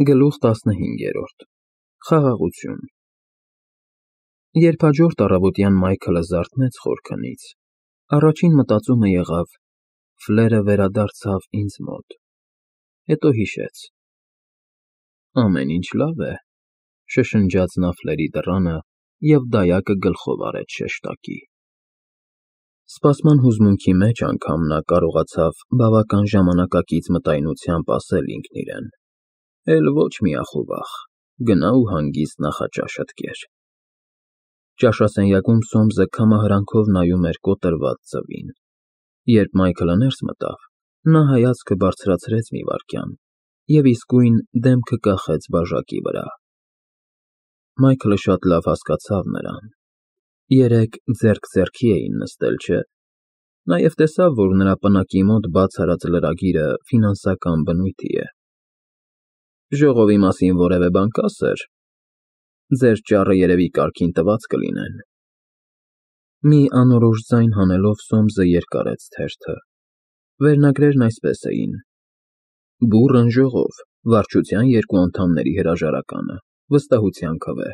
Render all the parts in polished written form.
Գլուխ 15 Խաղաղություն Երբ հաջորդ առավոտյան Մայքլը զարթնեց խորքնից, առաջին մտածումը եղավ. Ֆլերը վերադարձավ ինձ մոտ, հետո հիշեց. ամեն ինչ լավ է, շշնջաց նա Ֆլերի դռանը և դայակը գլխով արեց շեշտակի։ Սպասման հուզմունքի մեջ անգամ նա կարողացավ բավական ժամանակակից մտայնությամբ ասել ինքն իրեն. էլ ոչ մի ախովախ, գնա ու հանգիստ նախաճաշդ կեր։ Ճաշասենյակում Սոմսը քամահրանքով նայում էր կոտրված ձվին։ Երբ Մայքլը ներս մտավ, նա հայացքը բարձրացրեց մի վայրկյան և իսկույն դեմքը կախեց բաժակի վրա։ Մայքլը շատ լավ հասկացավ նրան։ Երեկ ձեռք ձեռքի էին նստել, չէ՞։ Նաև տեսավ, որ նրա պնակի մոտ բաց արած լրագիրը ֆինանսական բնույթի է։ Ժողովի մասին որևէ բան կա, սըր։ Ձեր ճառը երևի կարգին տված կլինեն։ Մի անորոշ ձայն հանելով Սոմսը երկարեց թերթը։ Վերնագրերն այսպես էին. Բուռն ժողով, վարչության 2 անդամների հրաժարականը, վստահության քվե։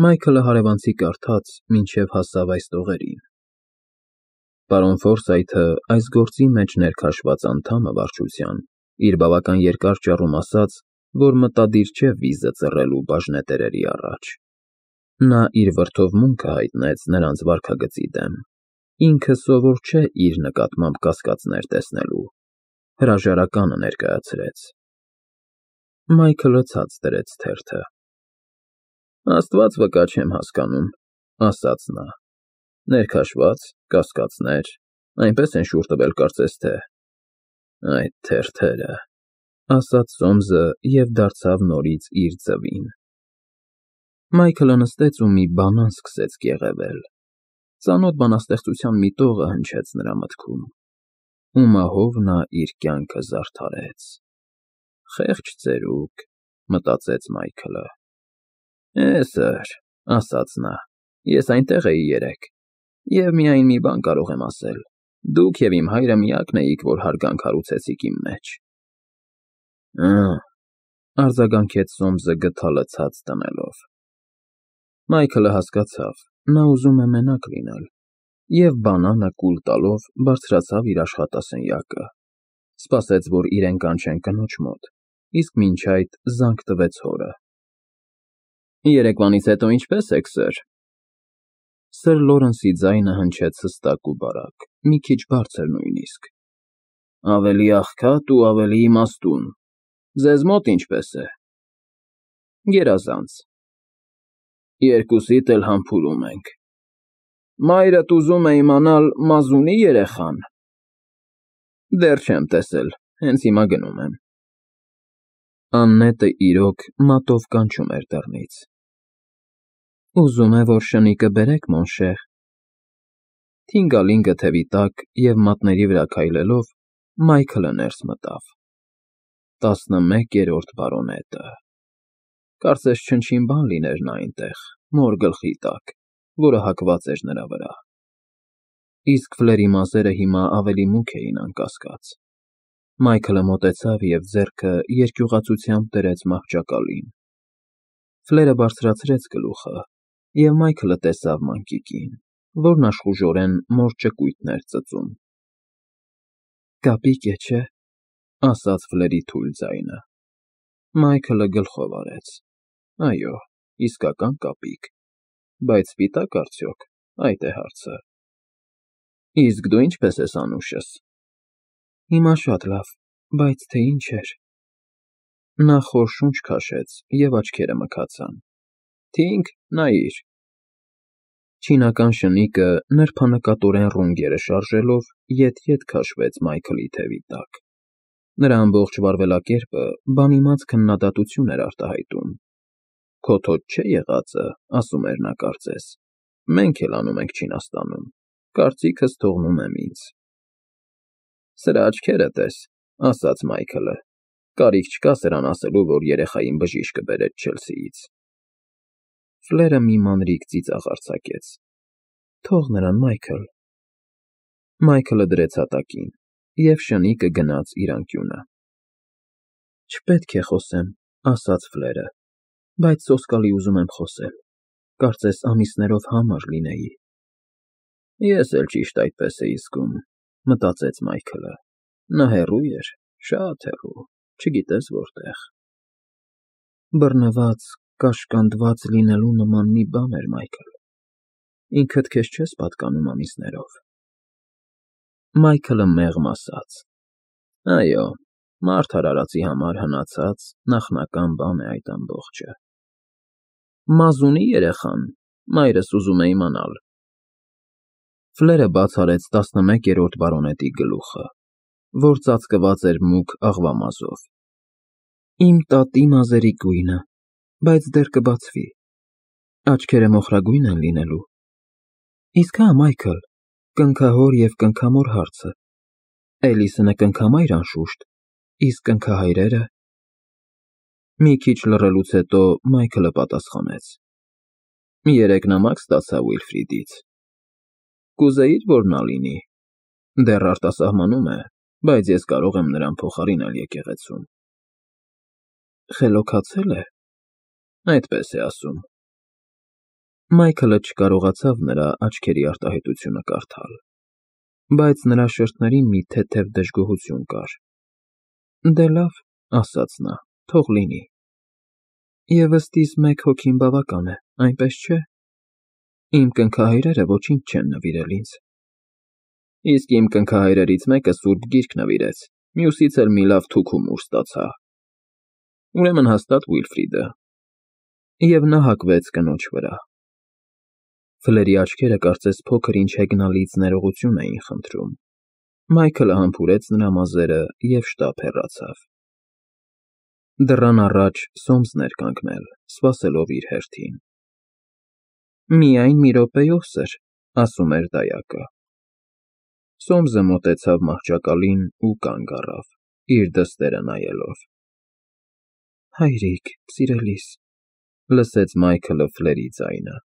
Մայքլը հարևանցի կարդաց, մինչև հասավ այս տողերին. Պարոն Ֆորսայթը, այս գործի մեջ ներքաշված անդամը վարչության, իր բավական երկար ճառում ասաց, որ մտադիր չէ վիզը ծռելու բաժնետերերի առաջ։ Նա իր վրդովմունքը հայտնեց նրանց վարքագծի դեմ, ինքը սովոր չէ իր նկատմամբ կասկածներ տեսնելու, հրաժարականը ներկայացրեց։ Մայքլը ցած դրեց թերթը։ Աստված վկա չեմ հասկանում, ասաց նա։ Ներքաշված, կասկածներ, այնպես են շուռ տվել կարծես թե։ Այդ թերթերը, ասաց Սոմսը և դարձավ նորից իր ձվին։ Մայքլը նստեց ու մի բանան սկսեց կեղևել։ Ծանոթ բանաստեղծության մի տողը հնչեց նրա մտքում. ու մահով նա իր կյանքը զարդարեց։ Խեղճ ծերուկ, մտածեց Մայքլը։ Սըր, ասաց նա, ես այնտեղ էի երեկ, և միայն մի բան կարող եմ ասել. դուք և իմ հայրը միակն էիք, որ հարգանք հարուցեցիք իմ մեջ։ Արձագանքեց Սոմսը գդալը ցած դնելով։ Մայքլը հասկացավ, նա ուզում է մենակ լինել, և բանանը կուլ տալով բարձրացավ իր աշխատասենյակը, սպասեց, որ իրեն կանչեն կնոջ մոտ, իսկ մինչ այդ զանգ տվեց հորը։ Երեկվանից հետո ինչպե՞ս եք, սըր։ Սըր Լորենսի ձայնը հնչեց հստակ ու բարակ, մի քիչ բարձր նույնիսկ։ Ավելի աղքատ ու ավելի իմաստուն։ Ձեզ մոտ ինչպե՞ս է։ Գերազանց։ Երկուսիդ էլ համբուրում ենք։ Մայրդ ուզում է իմանալ մազունի՞ երեխան։ Դեռ չեմ տեսել, հենց հիմա գնում եմ։ Աննետը իրոք մատով կանչում էր դռնից։ Ուզում է, որ շնիկը բերեք, մոնշեր։ Թինգալինգը թևի տակ և մատների վրա քայլելով, Մայքլը ներս մտավ։ 11-րդ բարոնետը։ Կարծես չնչին բան լիներ նա այնտեղ, մոր գլխի տակ, որը հակված էր նրա վրա։ Իսկ Ֆլերի մազերը հիմա ավելի մուգ էին, անկասկած։ Մայքլը մոտեցավ և ձեռքը երկյուղացությամբ դրեց մահճակալին։ Ֆլերը բարձրացրեց գլուխը, և Մայքլը տեսավ մանկիկին, որն աշխուժորեն մոր ճկույթն էր ծծում։ Կապիկ է, չէ՞, ասաց Ֆլերի թույլ ձայնը։ Մայքլը գլխով արեց։ Այո, իսկական կապիկ։ Բայց սպիտա՞կ արդյոք, այդ է հարցը։ Իսկ դու ինչպե՞ս ես, անուշս։ Հիմա շատ լավ, բայց թե ինչ էր։ Նա խոր շունչ քաշեց և աչքերը մքացան։ Թինգ, նայիր։ Չինական շնիկը նրբանկատորեն ռունգերը շարժելով ետ-ետ քաշվեց Մայքլի թևի տակ։ Նրա ամբողջ վարվելակերպը բանիմաց քննադատություն էր արտահայտում։ Քո թոտ չէ եղածը, ասում էր նա կարծես, մենք էլ անում ենք Չինաստանում, կարծիքս թողնում եմ ինձ։ Սրա աչքերը տես, ասաց Մայքլը, կարիք չկա սրան ասելու, որ երեխային բժիշկը բերեց Չելսիից։ Ֆլերը մի մանրիկ ծիծաղ արձակեց։ Թող նրան, Մայքլ։ Մայքլը դրեց հատակին, և շնիկը գնաց իր անկյունը։ Չպետք է խոսեմ, ասաց Ֆլերը, բայց սոսկալի ուզում եմ խոսել, կարծես ամիսներով համար լինեի։ Ես էլ ճիշտ այդպես էի զգում, մտածեց Մայքլը, նա հեռու էր, շատ հեռու, չգիտես որտեղ։ Բռնված, կաշկանդված լինելու նման մի բան էր, Մայքլ, ինքդ քեզ չես պատկանում ամիսներով։ Մայքլը մեղմ ասաց. Այո, մարդ արարածի համար հնացած նախնական բան է այդ ամբողջը։ Մազունի երեխան, մայրս ուզում է իմանալ։ Ֆլերը բաց արեց 11-րդ բարոնետի գլուխը, որ ծածկված էր մուգ աղվամազով։ Իմ տատի մազերի գույնը, բայց դեռ կբացվի։ Աչքերը մոխրագույն են լինելու։ Իսկ հա, Մայքլ, կնքահոր և կնքամոր հարցը։ Էլիսոնը կնքամայր անշուշտ, իսկ կնքահայրերը… Մի քիչ լռելուց հետո Մայքլը պատասխանեց. Երեկ նամակ ստացա Ուիլֆրիդից։ Կուզեիր, որ նա լինի։ Դեռ արտասահմանում է, բայց ես կարող եմ նրան փոխարինել եկեղեցում։ Խելոքացել է, այդպես է ասում։ Մայքլը չկարողացավ նրա աչքերի արտահայտությունը կարդալ, բայց նրա շրթերին մի թեթև դժգոհություն կար։ Դե լավ, ասաց նա, թող լինի։ Եվ ըստիս մեկ հոգին բավական է, այնպես չէ։ Իմ կնքահայրերը ոչինչ չեն նվիրել ինձ։ Իսկ իմ կնքահայրերից մեկը սուրբ գիրք նվիրեց, մյուսից էլ մի լավ թուքումուր ստացա։ Ուրեմն հաստատ Ուիլֆրիդը։ Եվ նա հագվեց կնոջ վրա։ Ֆլերի աչքերը կարծես փոքր-ինչ հեգնալից ներողություն էին խնդրում։ Մայքլը համբուրեց նրա մազերը և շտապ հեռացավ։ Դռան առաջ Սոմսն էր կանգնել, սպասելով իր հերթին։ Միայն մի րոպեյով, սըր, ասում էր դայակը։ Սոմսը մոտեցավ մահճակալին ու կանգ առավ, իր դստերը նայելով։ Հայրիկ, սիրելիս, լսեց Մայքլը Ֆլերի ձայնը։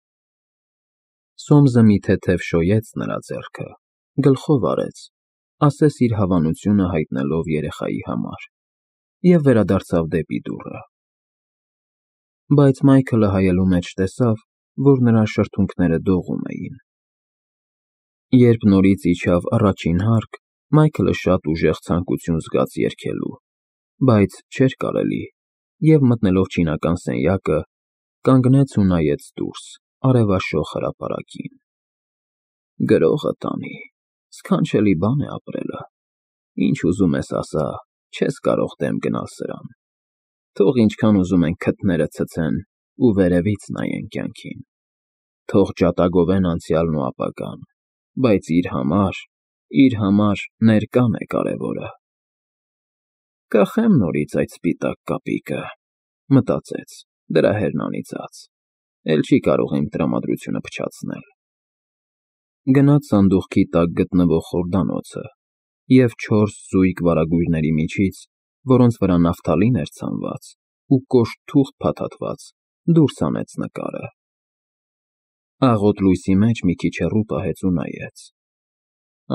Սոմսը մի թեթև շոյեց նրա ձեռքը, գլխով արեց, ասես իր հավանությունը հայտնելով երեխայի համար, և վերադարձավ դեպի դուռը։ Բայց Մայքլը հայելու մեջ տեսավ, որ նրա շրթունքները դողում էին։ Երբ նորից իջավ առաջին հարկ, Մայքլը շատ ուժեղ ցանկություն զգաց երգելու, բայց չէր կարելի, և մտնելով չինական սենյակը, կանգնեց ու նայեց դուրս, արևաշող հրապարակին։ Գրողը տանի, սքանչելի բան է ապրելը, ինչ ուզում ես ասա, չես կարող դեմ գնալ սրան։ Թող ինչքան ուզում են քթները ցցեն ու վերևից նայեն կյանքին, թող ջատագովեն անցյալն ու ապագան, բայց իր համար ներկան է կարևորը։ Կախեմ նորից այդ սպիտակ կապիկը, մտածեց, դրա հերն անիծած, էլ չի կարող իմ տրամադրությունը փչացնել։ Գնաց սանդուղքի տակ գտնվող խորդանոցը և 4 զույգ վարագույրների միջից, որոնց վրա նավթալին էր ցանված ու կոշտ թուղթ փաթաթված, դուրս հանեց նկարը։ Աղոտ լույսի մեջ մի քիչ հեռու պահեց ու նայեց։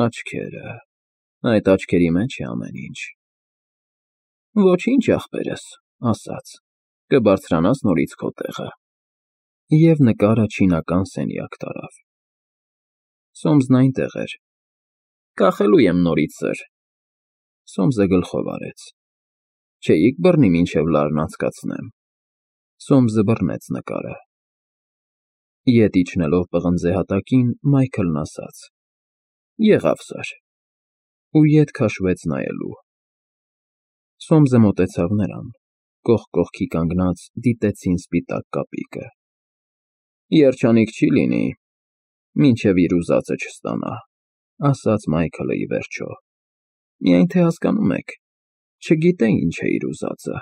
Աչքերը… այդ աչքերի մեջ է ամեն ինչ։ Ոչինչ, ախպերս, ասաց, կբարձրանաս նորից քո տեղը։ Եվ նկարը չինական սենյակ տարավ։ Սոմսն այնտեղ էր։ Կախելու եմ նորից, սըր։ Սոմսը գլխով արեց։ Չէիք բռնի մինչև լարն անցկացնեմ։ Սոմսը բռնեց նկարը։ Ետ իջնելով պղնձե հատակին, Մայքլն ասաց. Եղավ, սըր։ Ու ետ քաշվեց նայելու։ Սոմսը մոտեցավ նրան, կողք կողքի կանգնած դիտեցին սպիտակ կապիկը։ Երջանիկ չի լինի, մինչև իր ուզածը չստանա, ասաց Մայքլը ի վերջո։ Միայն թե հասկանում եք, չգիտե ինչ է իր ուզածը։